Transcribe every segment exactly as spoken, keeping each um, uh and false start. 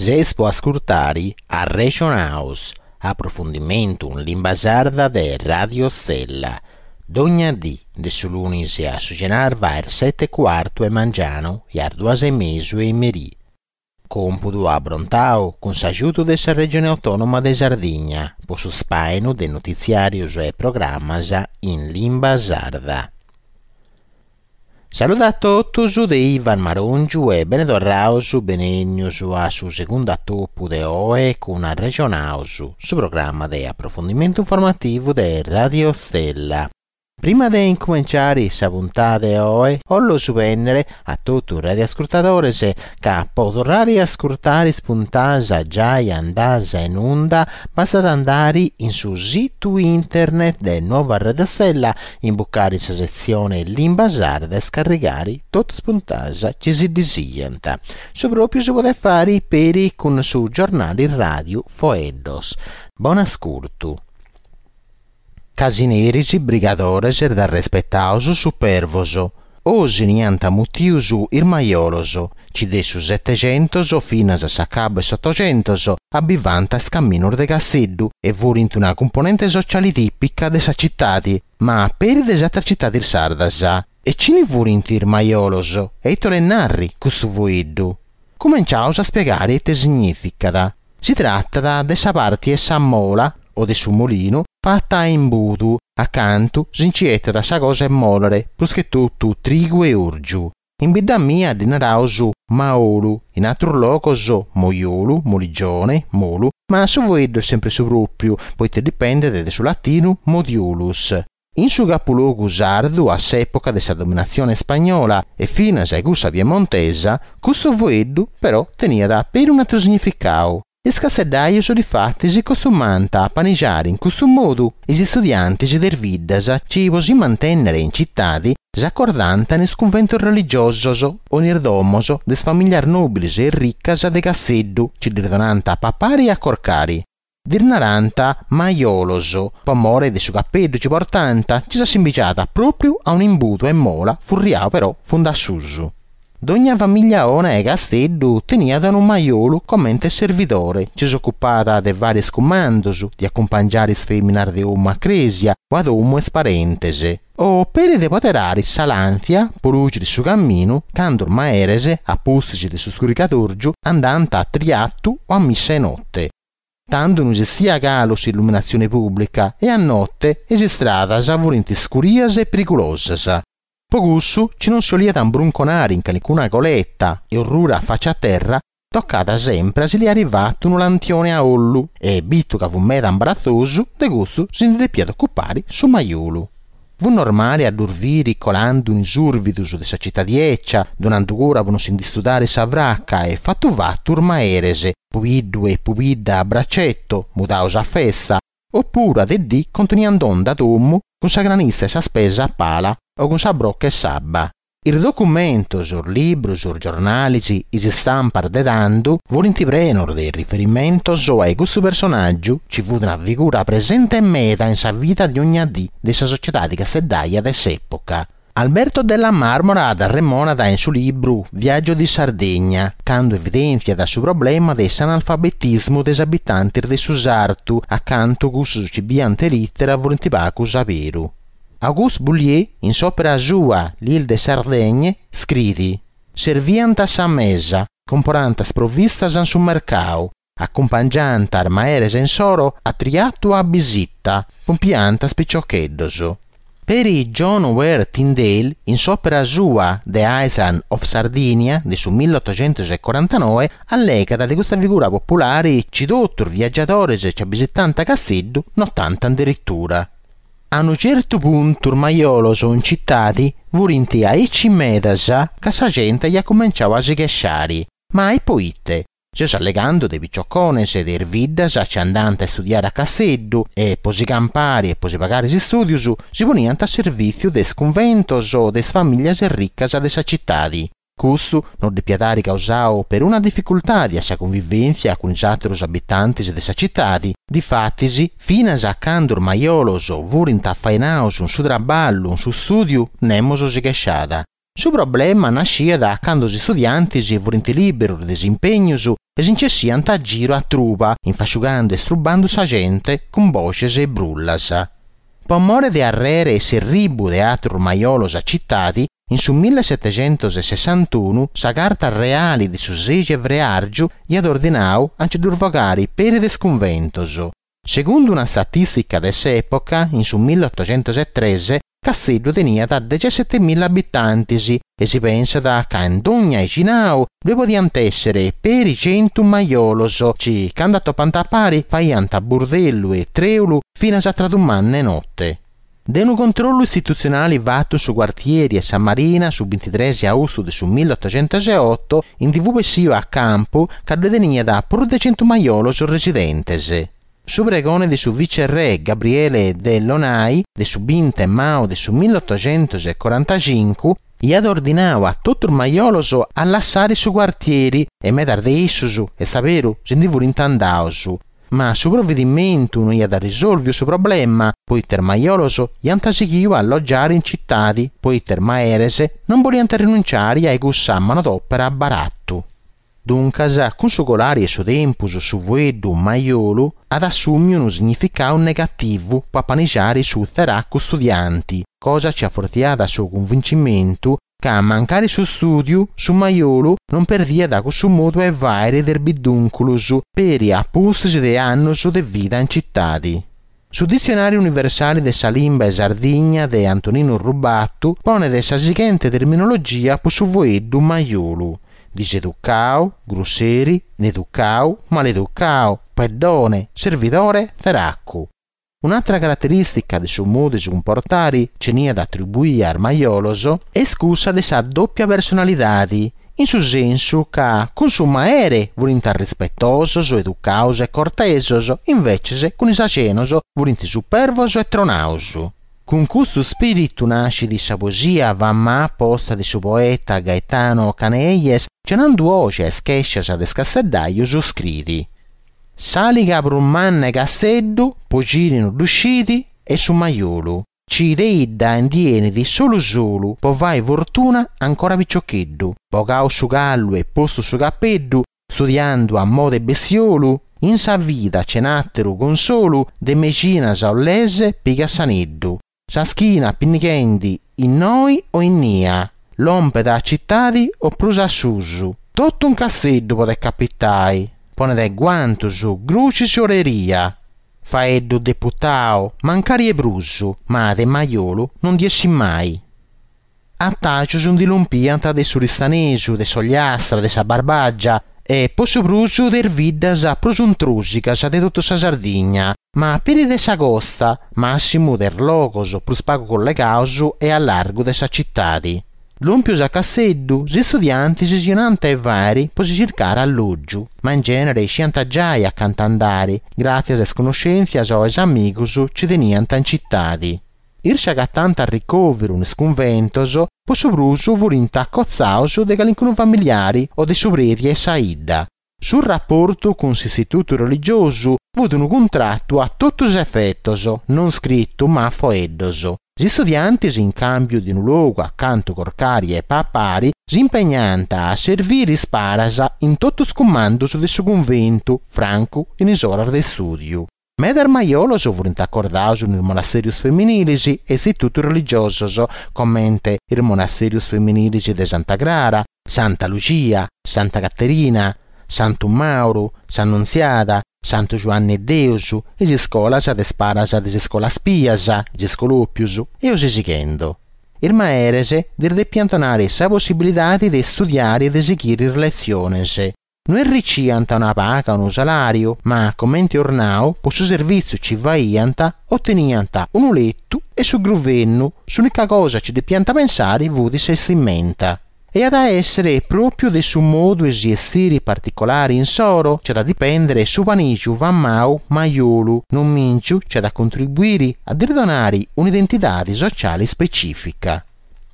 Seis po ascurtare Arrexonaus, aprofundimentu in limba sarda de Radio Stella. Dogna dì, de su lunis a su cenarba a is sete e cuartu 'e mangianu e a is duas e mesu 'e merì. Compudu abrontau cun s'agiudu de sa Regione Autonoma de Sardigna po su spàinu de notitziàrios e programmas in limba sarda. Salude a totus de Ivan Marongiu e bene torraus, benènnius a su segundu atopu de oe cun Arrexonaus, su programma de aprofundimentu informativu de Radio Stella. Prima de incumenciare sa puntada de oe, 'ollo subènnere a totu is radioascurtadores ca po torrare a ascurtare is puntadas giai andadas in unda bastat andare in su situ internet de Nuova Radio Stella, imbucare in sa setzione Limba Sarda e scarrigare totu is puntadas chi si disiant. Su pròpiu si podet fare peri cun su giornale radio Foeddos. Bon'ascurtu. Casineris, brigadores e arrespetados supervos. Osi 'eniant mutidos is majolos, chi de su Setecentos finas a s'acabu 'e s'Otocentos abbivant is caminos de Casteddu e furint una cumponente sociale tìpica de sa citade, ma peri de is àteras citades sardas. E chini furint is majolos? E ite 'olet narri custu fueddu? Cumenciaus a spiegare ite signìficat. Si tratat de sa parte 'e sa mola o de su molinu fata a imbudu, acantu si nci 'etat sa cosa 'e mòlere, prus che totu trigu e òrgiu. In bidda mia ddi naraus maolu, in àteros logos mojolu, moligione, molu, ma su fueddu est sempre su pròpiu, poite dipendet de su latinu modiolus. In su capulogu sardu a s'època de sa dominatzione ispagnola e finas a cussa piemontesa, custu fueddu però teniat peri un'àteru significadu. Is casteddajos difatis costumant a apanigiare in custu modu is istudiantes de is biddas chi po si mantènnere in citade s'acordant in is cunventos religiosos o in is domos de is famìlias nòbiles e ricas de Casteddu chi ddis donant a papare e a corcare. Ddis narant majolos, po more de su capeddu chi portant chi s'assimbigiat pròpriu a un'imbudu 'e mola furriadu però fundu a susu. Dogna famìlia 'ona 'e Casteddu teniat unu majolu comente servidore chi s'ocupat de fàere is cumandos, de acumpangiare is fèminas de 'omu a crèsia o a domu 'e is parentes, o peri de poderare sa làntia po lùghere su caminu cando is maeres, a pustis de su scurigadòrgiu, andant a triatu o a missa 'e note. Tando no esistiat galu s'illuminatzione pùblica e a note is istradas furint iscurias e perigulosas. Po cussu, chi non si 'oliat imbrunconare in calicuna goleta e orrure a faccia a terra, toccàt sempre a si leare fatu unu lantione a ollu e, bitu ca fut meda imbaratzosu, de custu si nde depiat ocupare su majolu. Fut normale a ddus biri colando in is urvidus de sa citadi 'ecia, donando cura po non si nd'istudare sa fraca e fatu fatu is maeres, pubiddu e pubidda a braccetto, mudaos a festa, opuru a de dì contoniand'onda domu cun sa granista 'e sa spesa a pala o cun sa brocca 'e s'abba. Is documentos, is libros, is giornales, is istampas de tando furint prenos de riferimentos a custu personàgiu chi fut una figura presente meda in sa vida de ogna dì de sa sociedade casteddaia de s'època. Alberto Della Marmora dd'arremonat in su libru Viaggio di Sardegna, cando evidèntziat su problema de s'analfabetismu de is abitantes de su sartu, a cantu cussos chi biant lìtera furint pagus a beru. Auguste Bullier, in s'òpera sua L'Île de Sardaigne, scriit: Serviant a sa mesa, comporant is provistas in su mercadu, acumpangiant is maeres insoro a triatu a bisita, pompiant is piciocheddos. Peri John Ware Tyndale, in s'òpera sua The Island of Sardinia de su milleotocentos e corantanoe, allegat de custa figura populare chi totu is viaggiadores chi abisitant Casteddu notant addirittura. A unu certu puntu is majolos in citade furint aici medas ca sa gente aiat cumenciadu a si chesciare. Ma e poite? Seus allegando de piciocones de is biddas chi andant a istudiare a Casteddu e po si campare e po si pagare is istùdios si poniant a servìtziu de is cunventos o de is famìlias riccas de sa citade. Custu non depiat àere causadu peruna dificultade a sa cunvivèntzia cun is àteros abitantes de sa citade. Difatis, finas a cando is majolos furint afainados in su traballu o in su stùdiu, nemos si chesciat. Su problema nasciat cando is istudiantis furint liberus de is impegnus e si nch'essiant a giru a truba, infasciugando e istrubbando sa gente cun boxes e brullas. Po more de arrere e s'erribu de aterus maiolos a citadi, in su millesetexentus e sessantunu sa Carta Reali de su seixi 'e freàrgiu iat ordinau a nche ddus bogare peri de is cunventos. Segundu una statìstica de s'època, in su milleotoxentus e tres Casteddu teniat dexesetemilla abitantes e si pensat ca in dogna bixinau ddue podiant èssere peri centu maiolos chi, cando atopant a pari, faiant burdellu e trèulu finas a tradu manna 'e notte. De unu controllu istitutzionale fatu in su quartieri 'e sa Marina su bintitrès de austu de su milleotoxentus e oto ndi fut bessiu a campu ca ddue teniat prus de centu maiolos residentes. Su pregone de su viceré Gabriele Dellonai de su binti mao de su milleotoxentus e corantacincu iat ordinau a totu is maiolos a lassare su quartieri e medas de issus, est aberu, si ndi furint andaos. Ma su provedimentu non iat risolviu su problema, poite is maiolos iant sighiu a alloggiare in citadi, poite is maeres non boliant rinunciare a cussa manodopera a barattu. Duncas, cun su colare 'e su tempus su fueddu maiolu at assumiu unu significau negativu po apanixare su tzeracu studianti, cosa chi afortiat su cunvincimentu ca mancari su studiu su maiolu non perdiat cussu modu 'e fàere de is bidùnculos peri a pustis de annos de vida in citadi. Su Ditzionàriu Universale de sa Limba 'e Sardigna de Antonino Rubattu ponet sa sighente terminologia po su fueddu maiolu: diseducau, grusseri, ineducau, maleducau, peddone, servidore, tzeracu. Un'àtera caraterìstica de su modu de si cumportare chi 'eniat atribuia a is maiolos est cussa de sa doppia personalidade, in su sensu ca cun su maere furint rispetosos, educaos e cortesos, inveces cun is agenos furint supervos e tronaos. Cun custu spiritu nascit sa poesia famà posta de su poeta Gaetano Caneies, chi 'onandu 'oxe a is chèscias de is casteddajos scriit: S'àliga prus manna 'e Casteddu, po chini no ddu scit, est su maiolu, chi de 'idda ndi 'enit solu solu po fai fortuna ancora piciocheddu, bogau su callu e postu su capeddu, studiandu a moda 'e bestiolu, in sa vida cen'àteru consolu, de mexinas o lese pigat s'aneddu, sa schina pinnichendi innoi o innia, lompet a citadi o prus a susu, totu in Casteddu podet capitai, ponet guantos, gruxis e oreria. Faeddu deputau, mancari 'e prus, ma de maiolu non ndi essit mai. A tàgios ndi lompiant de s'Oristanesu, de s'Ogliastra, de sa Barbagia e po su prus de is biddas prus intròsigas de totu sa Sardigna, ma peri de sa costa, massimu de is logos prus pagu collegaos e a largu de sa citadi. Lompios a Casteddu, is istudiantes si 'onant 'e fàere po si circare allògiu, ma in genere sciant giai acanta andare, gràtzias a is conoscèntzias o a is amigos chi teniant in citadi. Is chi agatant ricòveru in is cunventos, po su prus furint acotzaos de calincunu familiare o de su predi 'e sa 'idda. Su rapportu cun s'istitutu religiosu fut unu cuntratu a totus is efetos, non scritu ma a foeddos. Is istudiantes in càmbiu de unu logu acantu corcare e papare si impegnant a servire is paras in totus is cumandos de su cunventu, francu in is oras de istùdiu. Medas maiolos furint acordaos in is monastèrios feminiles e istitutos religiosos, comente is monastèrios feminiles de Santa Crara, Santa Lucia, Santa Caterina, Santu Mauru, s'Annunziada, Santu Giuanne Deus, is iscolas de is paras de is iscolas pias, is iscolòpios, e 'osi sighendo. Is maeres ddis depiant donare sa possibilidade de istudiare e de sighire is letziones. No erriciant una paga o unu salàriu, ma, comente ornau, po su servìtziu chi faiant, oteniant unu letu e su guvernu, s'ùnica cosa chi depiant pensare fut sa 'estimenta. E at a èssere pròpiu de su modu 'e si 'estire particolare insoro chi at a dipèndere su panìgiu famau maiolu, nomìngiu chi at a contribuire a ddis donare un'identidade sociale ispecìfica.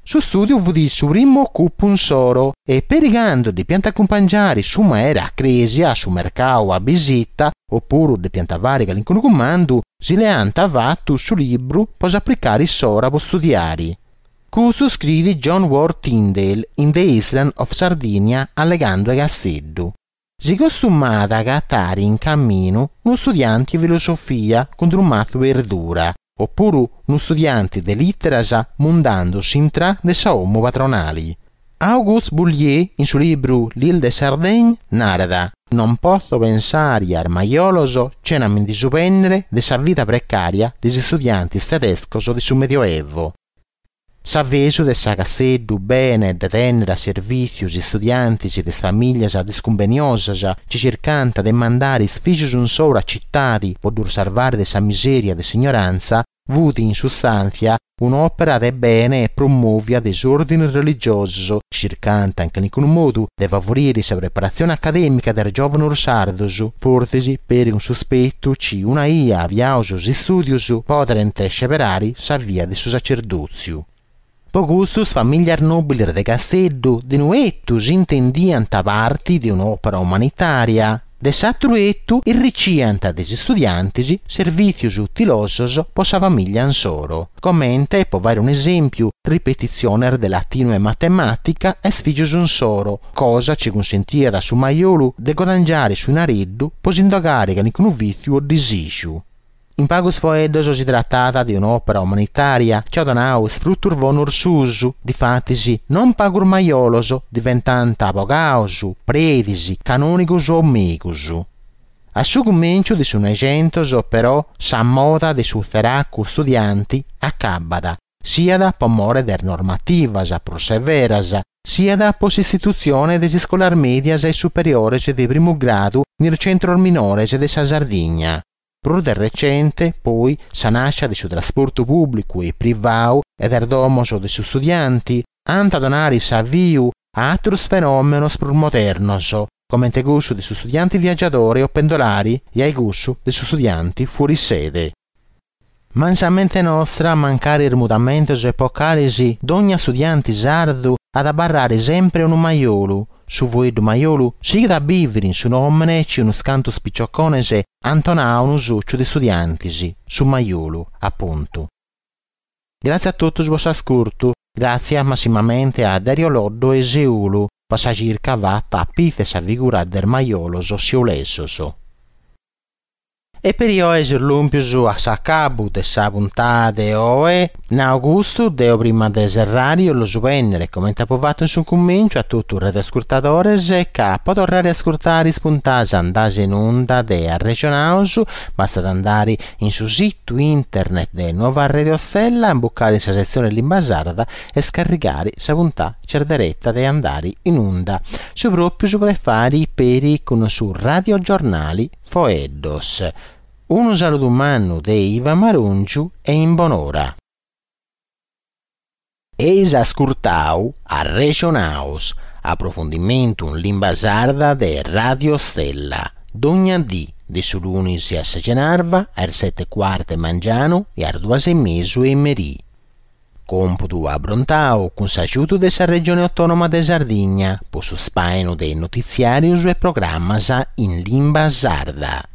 Su stùdiu fut su primu ocupu insoro e peri cando depiant acumpangiare su maere a crèsia, a su mercau a bisita, opuru depiant fare calincunu cumandu, si leant fatu su libru po s'aplicare s'ora po studiare. Custu scriit John Ward Tyndale in The Island of Sardinia allegando 'e Casteddu. Si costumàt a agatare in caminu unu studiante 'e filosofia cun unu matzu 'e 'erdura, opuru unu studiante de lìteras mundando s'intrà de sa 'omu patronale. Auguste Bullier, in su libru L'Île de Sardaigne, narat: Non potzo pensare a is majolos chena mi nde subènnere de sa vida precària de is istudiantes tedescos de su Medioevo. S'avesu de sa Casteddu bene de tènnere a servìtziu is istudiantes de is famìlias discumbeniosas chi chircant de mandare is fìgios insoro a citade pro ddos sarvare de sa misèria e de s'ignoràntzia, fut in sustàntzia un'òpera de bene promòvia de is òrdines religiosos chi chircant in calicunu modu de favorire sa preparatzione acadèmica de is giòvanos sardos, fortzis peri cun suspetu chi una 'ia aviados sos istùdios poderent seberare sa via de su sacerdòtziu. Pro custu is famìlias nòbiles de Casteddu de unu 'etu s'intendiant parte de un'òpera umanitària, de s'àteru 'etu irriciant de is istudiantes servìtzios utilosos pro sa famìlia insoro, comente, pro fàghere un'esèmpiu, ripetitziones de latinu e matemàtica a is fìgios insoro, cosa chi cunsentiat a su majolu de guadangiare su 'inareddu pro si nd'ogare calicunu vìtziu o disìgiu. In pagos foeddos si tratat de un'òpera umanitària chi at donadu is frutos bonos suos, difatis non pagos majolos diventant abogados, predes, canònigos o mèigos. A su cumintzu de su Noixentos, però, sa moda de su tzeracu istudiante acabat, siat pro more de is normativas prus severas, siat pro s'istitutzione de is iscolas mèdias e superiores de primu gradu in is tzentros minores de sa Sardigna. Prus de recente, poi, sa nàscia de su trasportu pùblicu e privadu e de is domos de su istudiante ant a donare s'aviu a àteros fenòmenos prus modernos, comente cussu de su istudiante viagiadore o pendolare e a cussu de su istudiante fuori sede. Ma in sa mente nostra, mancari is mudamentos epocales, dogna istudiante sardu at a abarrare semper unu majolu. Su foeddu majolu sighit a bìvere in su nòmene chi unos cantos piciocones ant donadu a unu sòtziu de istudiantes, su Majolu, apuntu. Gràtzias a totus pro s'ascurtu, gràtzias massimamente a Dario Loddo e Seulu pro sa chirca fata a pitzu 'e sa figura de is majolos seulesos. E peri oe seus lòmpios a s'acabu de sa puntada de oe. Nau custu, deo prima de serrare 'ollo subènnere, comente apo fatu in su cumintzu, a totu is radioascurtadores ca po torrare a ascurtare is puntadas andadas in unda de Arrexonaus bastat andare in su situ internet de Nuova Radio Stella, imbucare in sa setzione Limba Sarda e scarrigare sa puntada chi est dereta de andare in unda. Su pròpiu si podet fàghere peri cun su radiogiornale Foeddos. Unu saludu mannu de Iva Marongiu e in bonora. Eis ascurtau Arrexonaus, aprofundimentu in limba sarda de Radio Stella, dogna dì, de su lunis a sa cenarba, a is sete e cuartu 'e mangianu e a is duas e mesu 'e merì. Còmpudu abrontau cun s'agiudu de sa Regione Autònoma de Sardigna po su spàinu de notitziàrios e programmas in limba sarda.